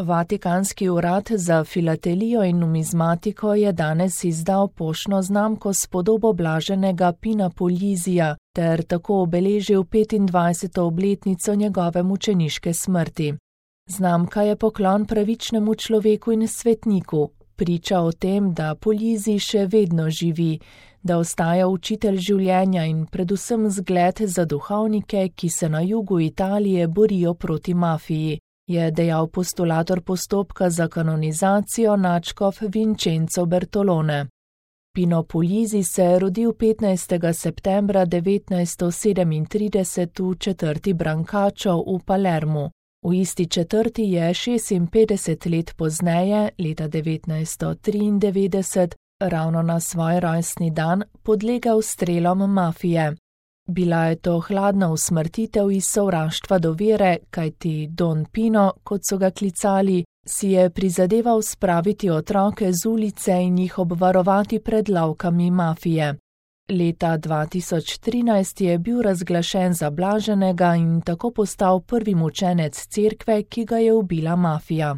Vatikanski urad za filatelijo in numizmatiko je danes izdal poštno znamko s podobo blaženega Pina Puglisija ter tako obeležil 25. obletnico njegove mučeniške smrti. Znamka je poklon pravičnemu človeku in svetniku, priča o tem, da Puglisi še vedno živi, da ostaja učitelj življenja in predvsem zgled za duhovnike, ki se na jugu Italije borijo proti mafiji, je dejal postulator postopka za kanonizacijo nadškof Vincenzo Bertolone. Pino Puglisi se je rodil 15. septembra 1937 v četrti Brancaccio v Palermu. V isti četrti je 56 let pozneje, leta 1993, ravno na svoj rojstni dan, podlegel strelom mafije. Bila je to hladna usmrtitev iz sovraštva do vere, kajti Don Pino, kot so ga klicali, si je prizadeval spraviti otroke z ulice in jih obvarovati pred lovkami mafije. Leta 2013 je bil razglašen za blaženega in tako postal prvi mučenec cerkve, ki ga je ubila mafija.